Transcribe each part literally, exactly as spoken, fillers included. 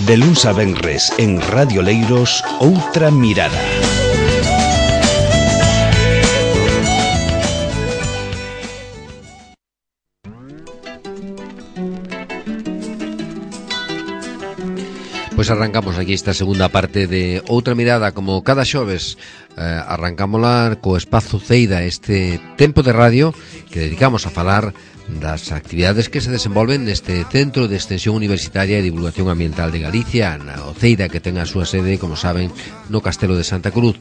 De luns a venres en Radio Leiros, Outra Mirada. Pois arrancamos aquí esta segunda parte de Outra Mirada, como cada xoves. eh, arrancámola co espazo Ceida, este tempo de radio que dedicamos a falar das actividades que se desenvolven neste Centro de Extensión Universitaria e Divulgación Ambiental de Galicia, na o Ceida, que ten a súa sede, como saben, no Castelo de Santa Cruz.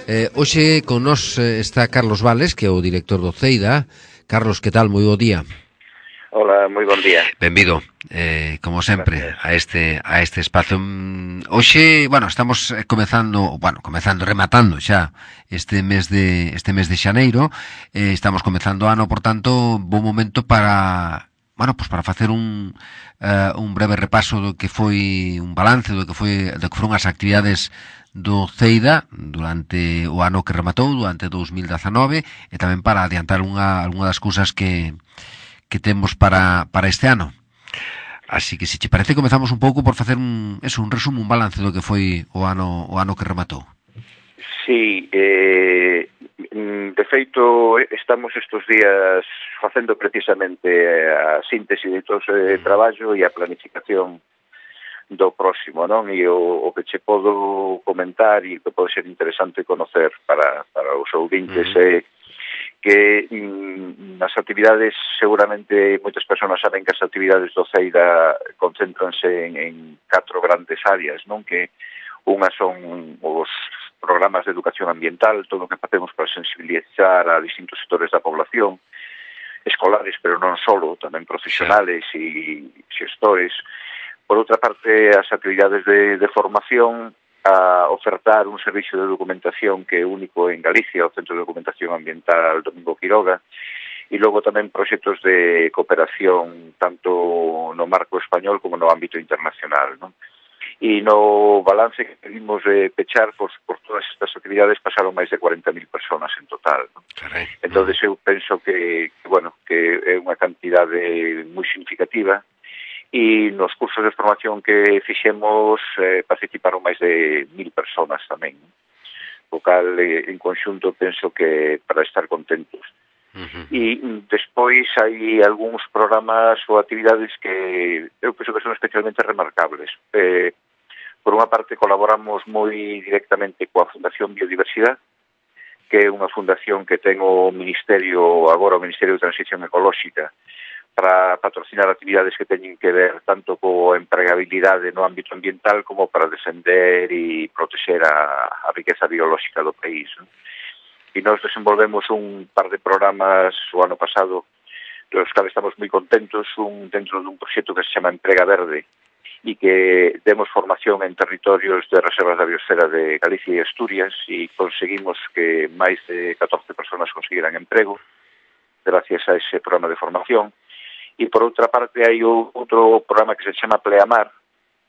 Eh, hoxe con nós está Carlos Vales, que é o director do Ceida. Carlos, que tal? Moi bo día. Hola, moi bon día. Benvido, eh, como sempre, a este a este espazo. Hoxe, bueno, estamos comezando, bueno, comezando, rematando xa este mes de este mes de xaneiro. Eh, estamos comezando o ano, por tanto, bo momento para, bueno, pues para facer un uh, un breve repaso do que foi un balance do que foi do que foron as actividades do Ceida durante o ano que rematou, durante dous mil dezanove, e tamén para adiantar unha algunha das cousas que que temos para, para este ano. Así que, se te parece, comezamos un pouco por facer un, eso, un resumo, un balance do que foi o ano o ano que rematou. Sí, eh, de feito, estamos estes días facendo precisamente a síntese de todo ese traballo e a planificación do próximo, non? E o, o que che podo comentar e que pode ser interesante conocer para, para os ouvintes é uh -huh. que mm, nas actividades, seguramente moitas persoas saben que as actividades do Ceida concéntranse en, en catro grandes áreas, non? Que unha son os programas de educación ambiental, todo o que facemos para sensibilizar a distintos sectores da población, escolares, pero non solo, tamén profesionales e xestores. Por outra parte, as actividades de, de formación, a ofertar un servicio de documentación que é único en Galicia, o Centro de Documentación Ambiental Domingo Quiroga, e logo tamén proxectos de cooperación tanto no marco español como no ámbito internacional, non? E no balance que pedimos de pechar, pues, por todas estas actividades pasaron máis de cuarenta mil personas en total, non? Entón, eu penso que, que, bueno, que é unha cantidade moi significativa. E nos cursos de formación que fixemos eh, participaron máis de mil personas tamén, o cal eh, en conxunto penso que para estar contentos. Uh-huh. E despois hai algúns programas ou actividades que eu penso que son especialmente remarcables. Eh, por unha parte, colaboramos moi directamente coa Fundación Biodiversidade, que é unha fundación que ten o Ministerio, agora o Ministerio de Transición Ecolóxica, para patrocinar actividades que teñen que ver tanto co empregabilidade no ámbito ambiental como para defender e proteger a, a riqueza biolóxica do país, non? E nós desenvolvemos un par de programas o ano pasado dos que estamos moi contentos, un dentro dun proxecto que se chama Emprega Verde e que demos formación en territorios de reservas da biosfera de Galicia e Asturias e conseguimos que máis de catorce personas conseguiran emprego gracias a ese programa de formación. E por outra parte hai outro programa que se chama Pleamar,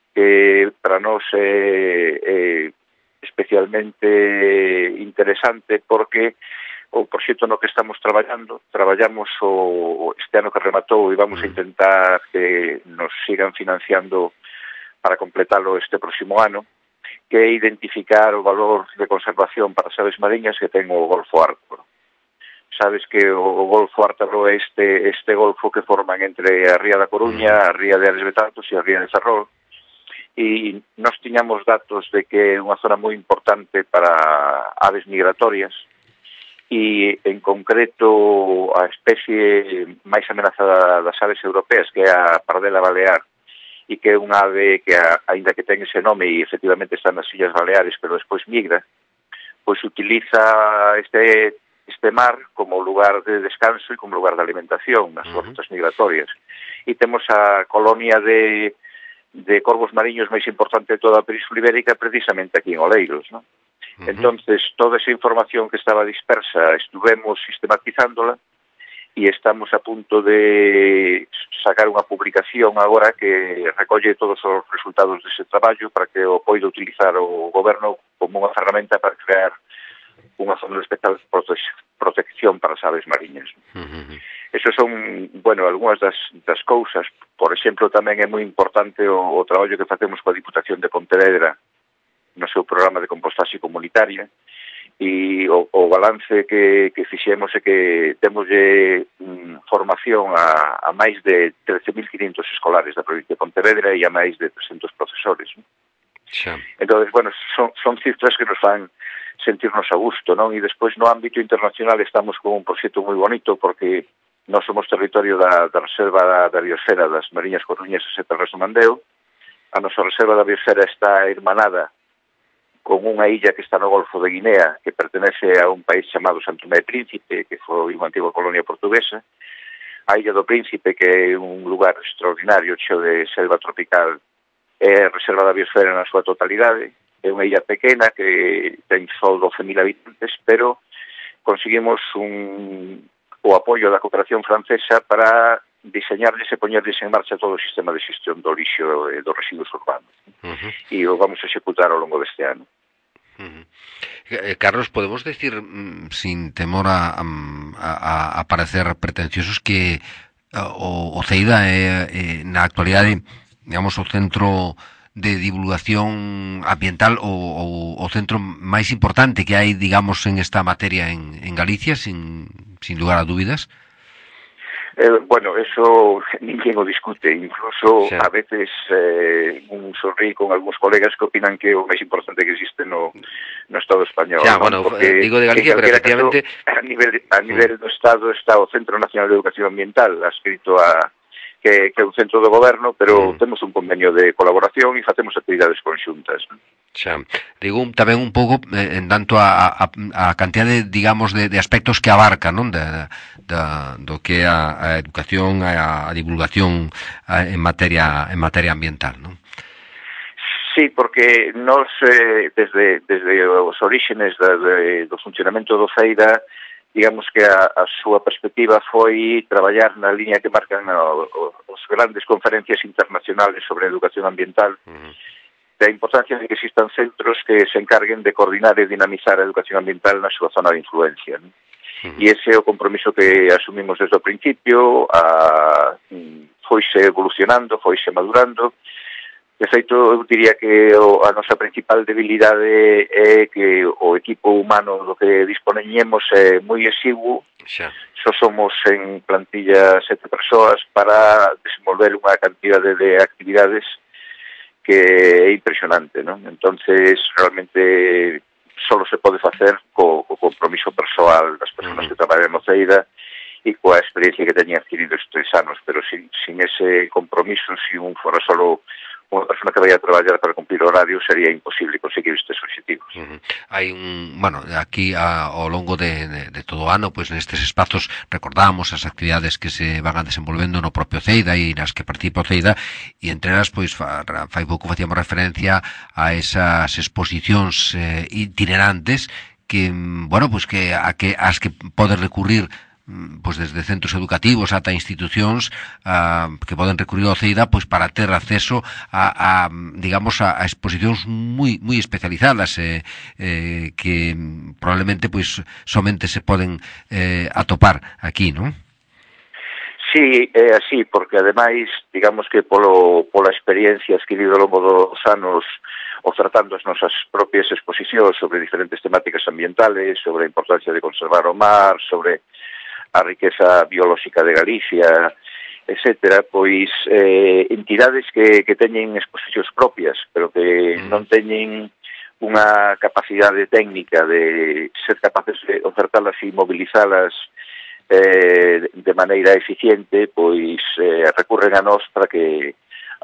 que para nós é, é especialmente interesante porque o proxecto no que estamos traballando, traballamos o, este ano que rematou e vamos a intentar que nos sigan financiando para completalo este próximo ano, que é identificar o valor de conservación para as aves mariñas que ten o Golfo Ártico. Sabes que o Golfo Ártaro é este, este golfo que forman entre a Ría da Coruña, a Ría de Ares Betanzos e a Ría de Ferrol. E nós tiñamos datos de que é unha zona moi importante para aves migratorias e, en concreto, a especie máis amenazada das aves europeas, que é a pardela balear, e que é unha ave que, aínda que ten ese nome e efectivamente está nas Illas Baleares, pero despois migra, pois utiliza este este mar como lugar de descanso e como lugar de alimentación nas súas rutas migratorias. E temos a colonia de, de corvos mariños máis importante de toda a Península Ibérica precisamente aquí en Oleiros, non? Uh-huh. Entonces, toda esa información que estaba dispersa estuvemos sistematizándola e estamos a punto de sacar unha publicación agora que recolle todos os resultados dese traballo para que o poida utilizar o goberno como unha ferramenta para crear unha zona especial de prote protección para as aves mariñas. Uh-huh. Eso son, bueno, algunhas das, das cousas. Por exemplo, tamén é moi importante o, o traballo que facemos coa Diputación de Pontevedra no seu programa de compostaxe comunitaria, e o, o balance que, que fixemos é que temos mm, formación a, a máis de trece mil quinhentos escolares da provincia de Pontevedra e a máis de trescentos profesores. Xa. Entón, bueno, son, son cifras que nos fan sentirnos a gusto, non? E despois no ámbito internacional estamos con un proxecto moi bonito porque nós somos territorio da, da Reserva da, da Biosfera das Mariñas Coruñesas e Terras do Mandeo. A nosa Reserva da Biosfera está hermanada con unha illa que está no Golfo de Guinea, que pertenece a un país chamado Santo Tomé e Príncipe, que foi unha antiga colonia portuguesa. A Illa do Príncipe, que é un lugar extraordinario, cheo de selva tropical, é a Reserva da Biosfera na súa totalidade. É unha illa pequena que ten só doce mil habitantes, pero conseguimos un, o apoio da cooperación francesa para diseñarles e poñerles en marcha todo o sistema de xestión do lixo e dos residuos urbanos. Uh-huh. E o vamos a executar ao longo deste ano. Uh-huh. Eh, Carlos, podemos decir, mm, sin temor a, a, a parecer pretenciosos, que uh, o, o CEIDA é, é, na actualidade, digamos, o centro de divulgación ambiental o, o, o centro máis importante que hai, digamos, en esta materia en, en Galicia, sin, sin lugar a dúbidas? Eh, bueno, eso ninguén o discute, incluso sí. A veces eh, un sorrí con algúns colegas que opinan que é o máis importante que existe no, no Estado español. Sí, ¿no? Bueno, porque, digo de Galicia, pero efectivamente... Caso, a nivel, a nivel do Estado está o Centro Nacional de Educación Ambiental, adscrito a que, que é un centro do goberno, pero mm. temos un convenio de colaboración e facemos actividades conxuntas, ¿no? Xa, digo tamén un pouco eh, en tanto a, a, a cantidade, digamos, de, de aspectos que abarca, non? Da, da, do que é a, a educación, a, a divulgación a, en materia en materia ambiental, non? Sí, porque nos, eh, desde, desde os orígenes da, de, do funcionamento do CEIDA, digamos que a, a súa perspectiva foi traballar na liña que marcan o, o, os grandes conferencias internacionales sobre educación ambiental, uh-huh. da importancia de que existan centros que se encarguen de coordinar e dinamizar a educación ambiental na súa zona de influencia, ¿no? Uh-huh. E ese é o compromiso que asumimos desde o principio, a, foise evolucionando, foise madurando. De feito, eu diría que o, a nosa principal debilidade é que o equipo humano do que dispoñemos é moi exiguo. Xa. Só somos en plantilla sete persoas para desenvolver unha cantidade de actividades que é impresionante, non? Entonces, realmente, só se pode facer co, co compromiso persoal das persoas uh-huh. que traballan no CEIDA e coa experiencia que teñen adquirido estes anos, pero sin, sin ese compromiso, se un fora solo unha persona que vai a traballar para cumplir o horario, sería imposible conseguir estes objetivos. Uh-huh. Hai un, bueno, aquí a, ao longo de, de, de todo o ano, pois pues, nestes espazos recordamos as actividades que se van a desenvolvendo no propio CEIDA e nas que participa o CEIDA, e entre elas, pois, fa, fai pouco facíamos referencia a esas exposicións eh, itinerantes que, bueno, pois pues, que a que as que podes recurrir pois desde centros educativos ata institucións uh, que poden recurrir ao CEIDA pois para ter acceso a, a digamos a, a exposicións moi moi especializadas eh, eh, que probablemente pois somente se poden eh, atopar aquí, non? Sí, é así, porque ademais, digamos que polo, pola experiencia adquirida ao longo dos anos ofertando as nosas propias exposicións sobre diferentes temáticas ambientales, sobre a importancia de conservar o mar, sobre a riqueza biolóxica de Galicia, etcétera, pois eh, entidades que, que teñen exposicións propias, pero que mm. non teñen unha capacidade técnica de ser capaces de ofertalas e mobilizalas eh, de maneira eficiente, pois eh, recurren a nós para que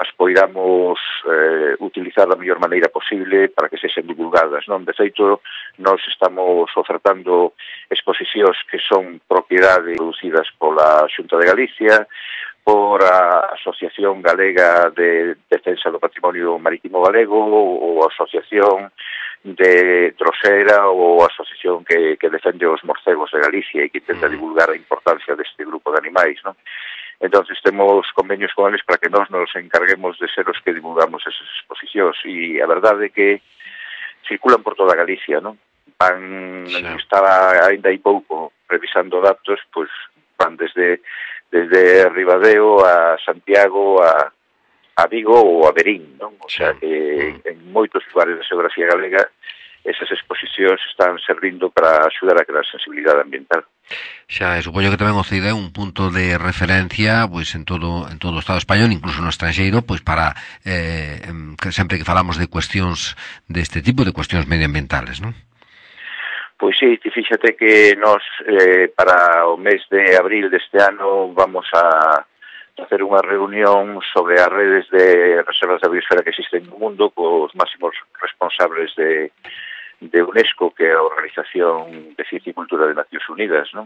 as poidamos eh, utilizar da mellor maneira posible para que sexen divulgadas, non? De feito, nós estamos ofertando exposicións que son propiedade producidas pola Xunta de Galicia, por a Asociación Galega de Defensa do Patrimonio Marítimo Galego, ou a Asociación de Trosera, ou a Asociación que, que defende os morcegos de Galicia e que intenta divulgar a importancia deste grupo de animais, non? Entonces temos convenios con eles para que nós nos encarguemos de ser os que divulgamos esas exposicións, e a verdade é que circulan por toda Galicia, non? Van, sí. Estaba ainda hai pouco revisando datos, pois van desde desde Ribadeo a Santiago, a, a Vigo ou a Verín, non? O sea, que en moitos lugares da xeografía galega esas exposicións están servindo para axudar a crear sensibilidade ambiental. Xa, e supoño que tamén o C I D é un punto de referencia pois en todo en todo o Estado español, incluso no estranxeiro, pois para eh, que sempre que falamos de cuestións deste tipo, de cuestións medioambientales, non? Pois sí, fíxate que nos eh, para o mes de abril deste ano vamos a facer unha reunión sobre as redes de reservas da biosfera que existen no mundo cos máximos responsables de de UNESCO, que é a Organización de Ciencia e Cultura de Nacións Unidas, non?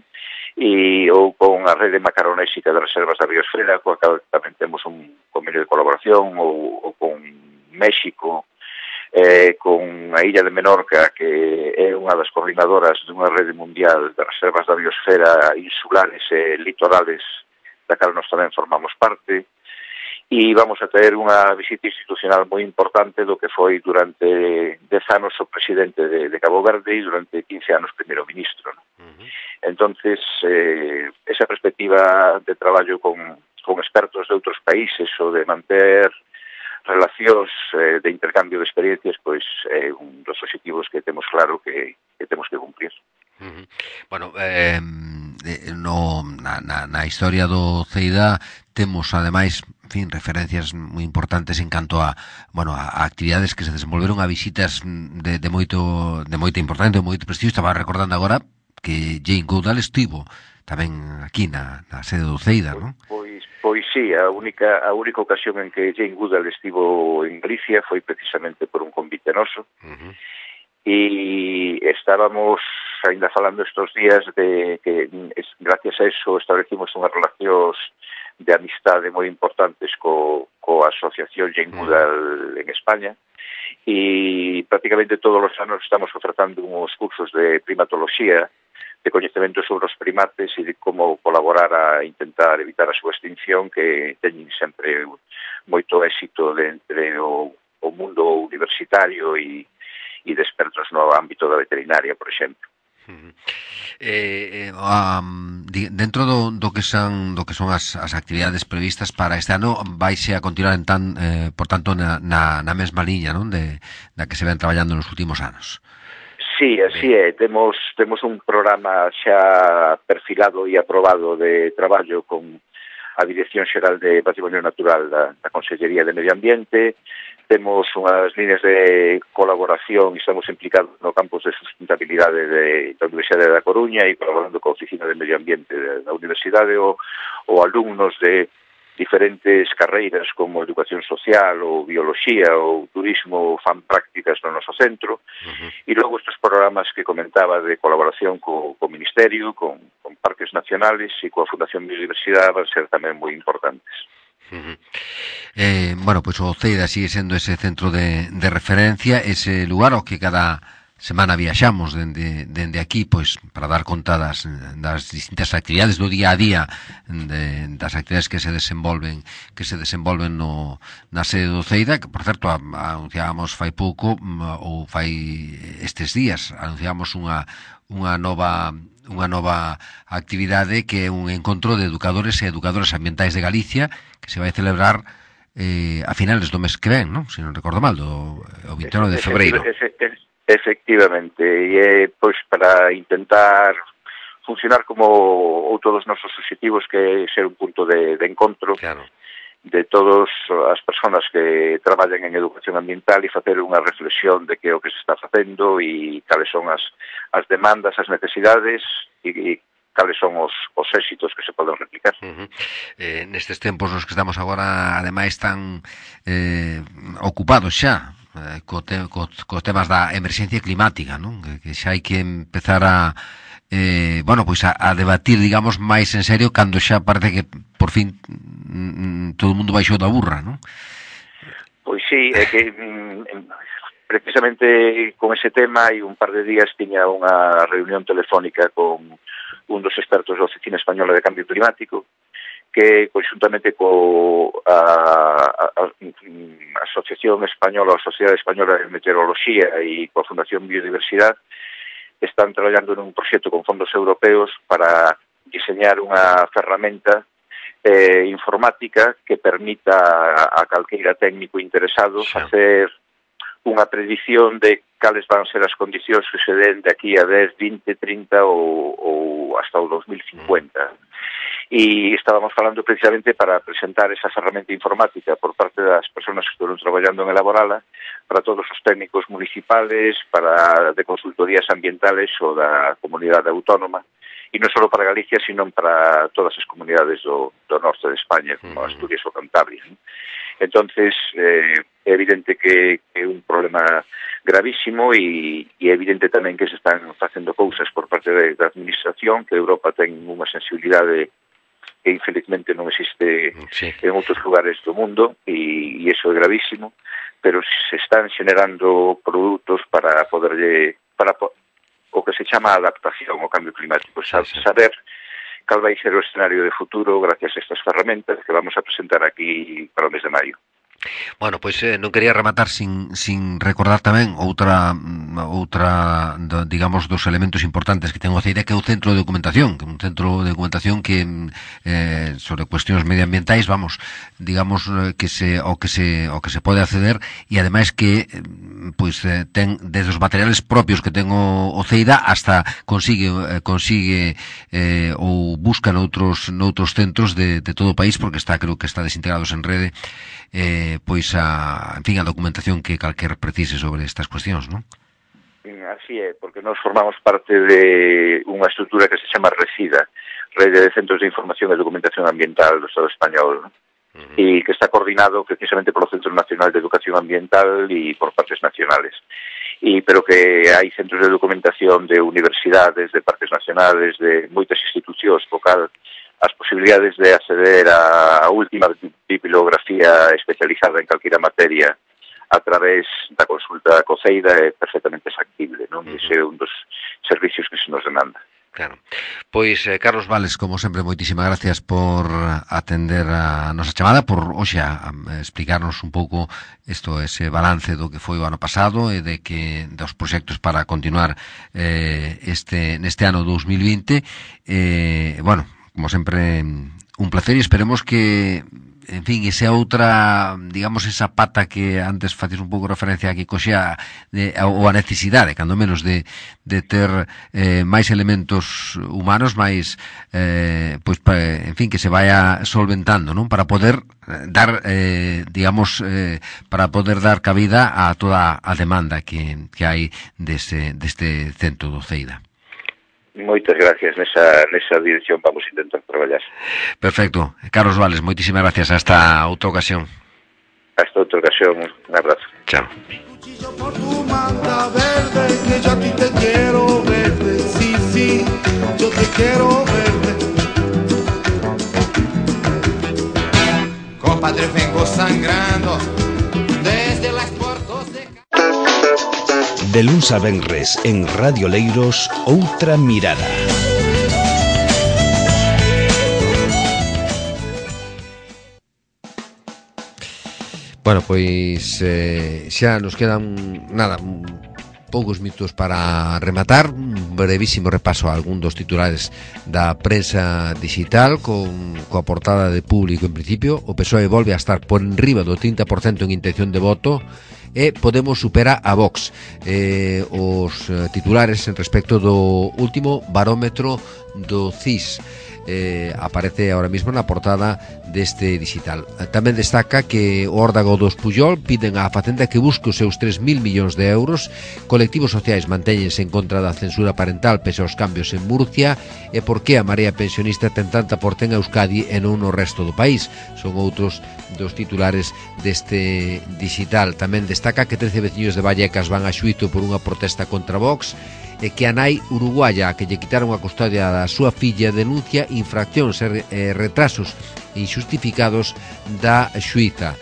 E ou con a rede macaronésica de reservas da biosfera, coa que tamén temos un convenio de colaboración, ou, ou con México, eh, con a Illa de Menorca, que é unha das coordinadoras dunha rede mundial de reservas da biosfera insulares e litorales, da cal nós tamén formamos parte, e vamos a ter unha visita institucional moi importante do que foi durante dez anos o presidente de, de Cabo Verde e durante quince anos primeiro ministro, ¿no? Uh-huh. Entonces, eh, esa perspectiva de traballo con, con expertos de outros países ou de manter relacións eh, de intercambio de experiencias, pois é eh, un dos objetivos que temos claro que, que temos que cumplir. Uh-huh. Bueno, eh, no, na, na, na historia do C I D A temos, ademais, en fin, referencias moi importantes en canto a, bueno, a actividades que se desenvolveron a visitas de, de moito de moita importancia, de moito prestigio. Estaba recordando agora que Jane Goodall estivo tamén aquí na, na sede do C I D A, non? Pois, pois sí, a única a única ocasión en que Jane Goodall estivo en Galicia foi precisamente por un convite noso. Uh-huh. E estábamos ainda falando estos días de que gracias a eso establecimos unhas relacións de amistade moi importantes co, co Asociación Jane Goodall en España, e prácticamente todos os anos estamos ofertando uns cursos de primatoloxía, de coñecemento sobre os primates e de como colaborar a intentar evitar a súa extinción, que teñen sempre moito éxito de entre o, o mundo universitario e, e de expertos no ámbito da veterinaria, por exemplo. Uh-huh. Eh, eh, um, dentro do, do que son do que son as, as actividades previstas para este ano, vaise a continuar en tan, eh, por tanto na, na, na mesma liña, non, de da que se ven traballando nos últimos anos. Sí, así é, temos temos un programa xa perfilado e aprobado de traballo con a Dirección Xeral de Patrimonio Natural da, da Consellería de Medio Ambiente. Temos unhas líneas de colaboración e estamos implicados no campus de sustentabilidade de, da Universidade da Coruña e colaborando coa Oficina de Medio Ambiente da Universidade ou, ou alumnos de diferentes carreiras como educación social ou bioloxía ou turismo fan prácticas no noso centro. Uh-huh. E logo estes programas que comentaba de colaboración co, co Ministerio, con, con parques nacionales e coa Fundación Biodiversidade van ser tamén moi importantes. Uh-huh. Eh, bueno, pois pues o C I D A sigue sendo ese centro de, de referencia, ese lugar ao que cada semana viaxamos dende, dende aquí, pois para dar conta das, das distintas actividades do día a día, de, das actividades que se desenvolven que se desenvolven no, na sede do C I D A, que por certo anunciábamos fai pouco ou fai estes días, anunciábamos unha unha nova unha nova actividade que é un encontro de educadores e educadoras ambientais de Galicia que se vai celebrar eh, a finales do mes que ven, non? Se non recordo mal, do o vinte e nove de febreiro. Efectivamente, e é pois para intentar funcionar como outro dos nosos obxectivos, que é ser un punto de, de encontro, claro, de todas as persoas que traballan en educación ambiental e facer unha reflexión de que o que se está facendo e cales son as, as demandas, as necesidades e, e cales son os, os éxitos que se poden replicar. Uh-huh. Eh, nestes tempos nos que estamos agora, ademais, tan eh, ocupados xa eh, co te, co, co temas da emerxencia climática, non? Que, que xa hai que empezar a eh, bueno, pois a, a debatir, digamos, máis en serio cando xa parece que por fin mm, todo o mundo baixou da burra, non? Pois sí, é que mm, precisamente con ese tema hai un par de días tiña unha reunión telefónica con un dos expertos da Oficina Española de Cambio Climático, que conxuntamente co a, a, a, a Asociación Española, a Sociedade Española de Meteoroloxía e coa Fundación Biodiversidade están traballando nun proxecto con fondos europeos para diseñar unha ferramenta eh, informática que permita a, a calqueira técnico interesado sí. facer unha predición de cales van ser as condicións que se den de aquí a dez, vinte, trinta ou, ou hasta o dos mil cincuenta. E estábamos falando precisamente para presentar esa ferramenta informática por parte das persoas que estuvieron traballando en elaborala para todos os técnicos municipales, para de consultorías ambientales ou da comunidade autónoma, e non só para Galicia, sino para todas as comunidades do, do norte de España, como Asturias ou Cantabria. Entonces, eh, é evidente que é un problema gravísimo e, e é evidente tamén que se están facendo cousas por parte da administración, que Europa ten unha sensibilidade que infelizmente non existe sí. en outros lugares do mundo e, e iso é gravísimo, pero se están generando produtos para poderlle, para o que se chama adaptación ao cambio climático, sí, sí. saber cal vai ser o escenario de futuro gracias a estas ferramentas que vamos a presentar aquí para o mes de maio. Bueno, pois eh, non quería rematar sin, sin recordar tamén outra outra, do, digamos, dos elementos importantes que ten o CEIDA, que é o centro de documentación, que é un centro de documentación que eh, sobre cuestións medioambientais, vamos, digamos que se o que se o que se pode acceder e ademais que pois eh, ten desde os materiales propios que ten o, o CEIDA hasta consigue eh, consigue eh, ou busca noutros noutros centros de, de todo o país, porque está, creo que está desintegrados en rede, eh, pois a, en fin, a documentación que calquer precise sobre estas cuestións, non? Así é, porque nós formamos parte de unha estrutura que se chama RECIDA, Rede de Centros de Información e Documentación Ambiental do Estado Español, ¿no? Uh-huh. E que está coordinado precisamente polo Centro Nacional de Educación Ambiental e por partes nacionales. E, pero que hai centros de documentación de universidades, de partes nacionales, de moitas institucións, po cal as posibilidades de acceder á última bibliografía especializada en calquera materia a través da consulta co CEIDA é perfectamente factible, non? Uh-huh. Ese é un dos servicios que se nos demanda. Claro. Pois, eh, Carlos Vales, como sempre, moitísimas gracias por atender a nosa chamada, por, hoxe, a, a explicarnos un pouco isto, ese balance do que foi o ano pasado e de que dos proxectos para continuar eh, este neste ano dos mil vinte. Eh, bueno, como sempre, un placer e esperemos que, en fin, esa outra, digamos, esa pata que antes facías un pouco referencia a que coxea de, ou a necesidade, cando menos, de, de ter eh, máis elementos humanos, máis, eh, pois, pa, en fin, que se vaya solventando, non? Para poder dar, eh, digamos, eh, para poder dar cabida a toda a demanda que, que hai deste, deste centro do CEIDA. Moitas gracias, nesa, nesa dirección vamos a intentar traballar. Perfecto. Carlos Vales, moitísimas gracias. Hasta outra ocasión. Hasta outra ocasión, un abrazo. Chao. Por tu manta verde, que yo a ti te quiero verde, sí, sí, yo te quiero verde. Compadre, vengo sangrando desde las portos de... De luns a venres en Radio Leiros, outra mirada. Bueno, pois eh, xa nos quedan nada, poucos minutos para rematar. Un brevísimo repaso a algún dos titulares da prensa digital con coa portada de Público. En principio, o P S O E volve a estar por enriba do trinta por cento en intención de voto e Podemos supera a Vox. Eh, os titulares en respecto do último barómetro do C I S. Eh, aparece ahora mismo na portada deste digital. Tamén destaca que o órdago dos Pujol piden á Facenda que busque os seus tres mil millóns de euros. Colectivos sociais mantéñense en contra da censura parental pese aos cambios en Murcia. E por que a Marea Pensionista ten tanta porten a Euskadi e non no resto do país? Son outros dos titulares deste digital. Tamén destaca que trece veciños de Vallecas van a xuízo por unha protesta contra Vox e que a nai uruguaya que lle quitaron a custodia da súa filla denuncia infraccións e retrasos injustificados da xuíza.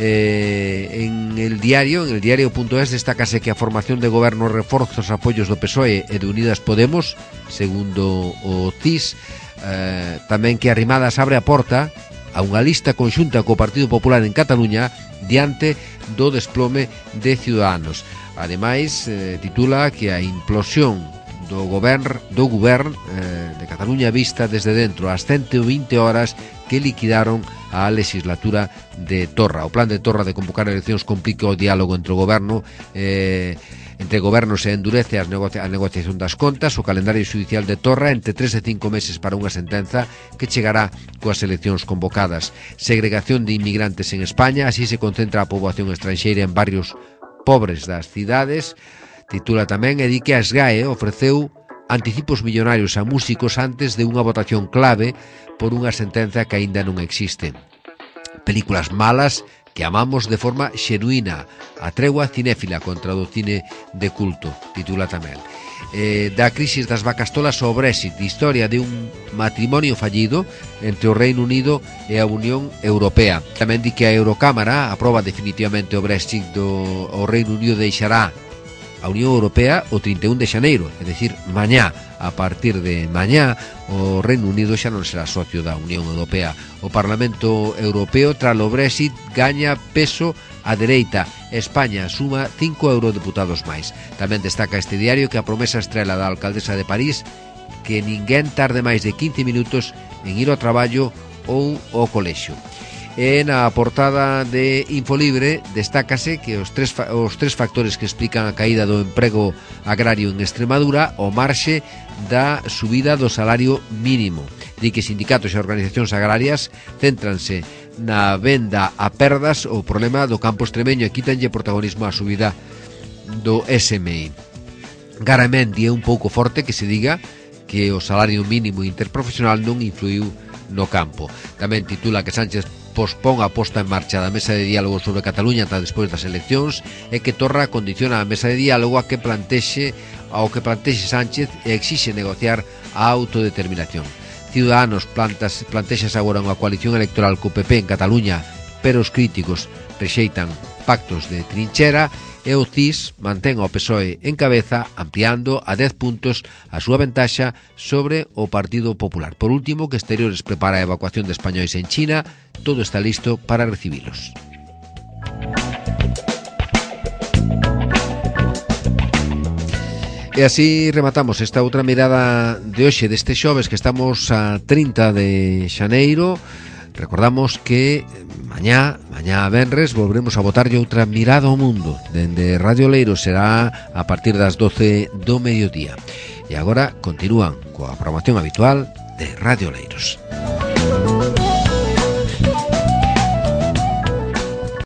Eh, en el diario, en el diario.es destácase que a formación de goberno reforza os apoios do P S O E e de Unidas Podemos, segundo o C I S. Eh, tamén que Arrimadas abre a porta a unha lista conxunta co Partido Popular en Cataluña diante do desplome de Ciudadanos. Ademais, eh, titula que a implosión do govern, do govern eh, de Cataluña vista desde dentro, as ciento veinte horas que liquidaron a legislatura de Torra. O plan de Torra de convocar eleccións complica o diálogo entre o goberno eh, entre gobernos e endurece as negocia a negociación das contas. O calendario xudicial de Torra entre tres e cinco meses para unha sentenza que chegará coas eleccións convocadas. Segregación de inmigrantes en España, así se concentra a poboación estranxeira en barrios pobres das cidades. Titula tamén e di que a SGAE ofreceu anticipos millonarios a músicos antes de unha votación clave por unha sentenza que aínda non existe. Películas malas que amamos de forma xenuína, a tregua cinéfila contra o cine de culto, titula tamén. Eh, da crisis das vacas tolas ao Brexit, historia de un matrimonio fallido entre o Reino Unido e a Unión Europea. Tamén di que a Eurocámara aproba definitivamente o Brexit do o Reino Unido deixará a Unión Europea o trinta e un de xaneiro, é dicir, mañá. A partir de mañá, o Reino Unido xa non será socio da Unión Europea. O Parlamento Europeo, tras o Brexit, gaña peso a dereita. España suma cinco eurodeputados máis. Tamén destaca este diario que a promesa estrela da alcaldesa de París que ninguén tarde máis de quince minutos en ir ao traballo ou ao colexio. E na portada de Infolibre destácase que os tres, os tres factores que explican a caída do emprego agrario en Extremadura o marxe da subida do salario mínimo. Di que sindicatos e organizacións agrarias céntranse na venda a perdas o problema do campo extremeño e quítanlle protagonismo á subida do S M I. Garamendi é un pouco forte que se diga que o salario mínimo interprofesional non influiu no campo. Tamén titula que Sánchez pospón a posta en marcha da mesa de diálogo sobre Cataluña ata despois das eleccións e que Torra condiciona a mesa de diálogo a que plantexe ao que plantexe Sánchez e exixe negociar a autodeterminación. Ciudadanos plantas, plantexas agora unha coalición electoral co P P en Cataluña, pero os críticos rexeitan pactos de trinchera e o C I S mantén ao P S O E en cabeza ampliando a dez puntos a súa ventaxa sobre o Partido Popular. Por último, que Exteriores prepara a evacuación de españois en China, todo está listo para recibilos. E así rematamos esta outra mirada de hoxe deste xoves que estamos a trinta de xaneiro. Recordamos que mañá, mañá venres, volveremos a botarlle outra mirada ao mundo. Dende Radio Leiros será a partir das doce do mediodía. E agora continúan coa programación habitual de Radio Leiros.